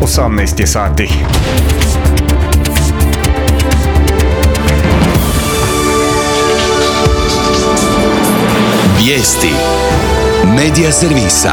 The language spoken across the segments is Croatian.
18 je sati. Vijesti Medija servisa.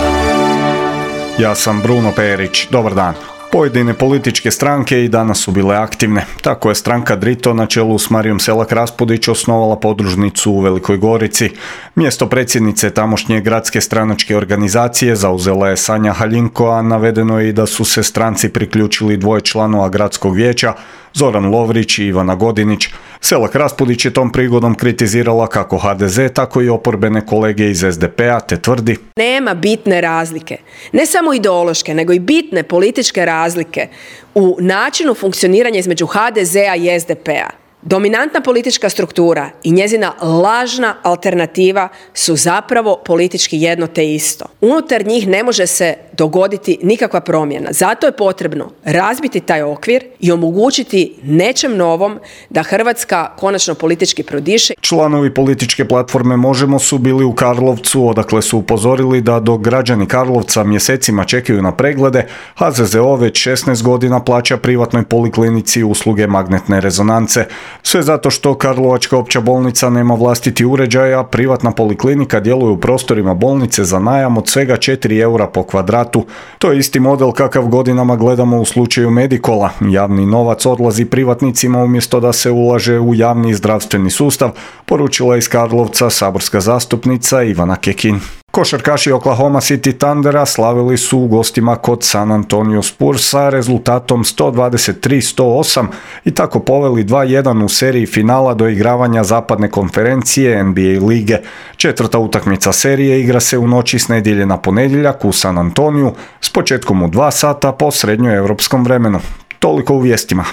Ja sam Bruno Perić. Dobar dan. Pojedine političke stranke i danas su bile aktivne. Tako je stranka Drito na čelu s Marijom Selak Raspudić osnovala podružnicu u Velikoj Gorici. Mjesto predsjednice tamošnje gradske stranačke organizacije zauzela je Sanja Haljinko, a navedeno je i da su se stranci priključili 2 članova gradskog vijeća, Zoran Lovrić i Ivana Godinić. Selak Raspudić je tom prigodom kritizirala kako HDZ, tako i oporbene kolege iz SDP-a, te tvrdi: nema bitne razlike, ne samo ideološke, nego i bitne političke razlike u načinu funkcioniranja između HDZ-a i SDP-a. Dominantna politička struktura i njezina lažna alternativa su zapravo politički jedno te isto. Unutar njih ne može se dogoditi nikakva promjena. Zato je potrebno razbiti taj okvir i omogućiti nečem novom da Hrvatska konačno politički prodiše. Članovi političke platforme Možemo su bili u Karlovcu, odakle su upozorili da dok građani Karlovca mjesecima čekaju na preglede, HZZO već 16 godina plaća privatnoj poliklinici usluge magnetne rezonance. Sve zato što Karlovačka opća bolnica nema vlastiti uređaj, a privatna poliklinika djeluje u prostorima bolnice za najam od svega 4 eura po kvadratu. To je isti model kakav godinama gledamo u slučaju Medikola. Javni novac odlazi privatnicima umjesto da se ulaže u javni zdravstveni sustav, poručila iz Karlovca saborska zastupnica Ivana Kekin. Košarkaši Oklahoma City Thundera slavili su u gostima kod San Antonio Spurs sa rezultatom 123-108 i tako poveli 2-1 u seriji finala do igravanja zapadne konferencije NBA lige. 4. utakmica serije igra se u noći s nedjelje na ponedjeljak u San Antoniju s početkom u 2 sata po srednjoevropskom vremenu. Toliko u vijestima.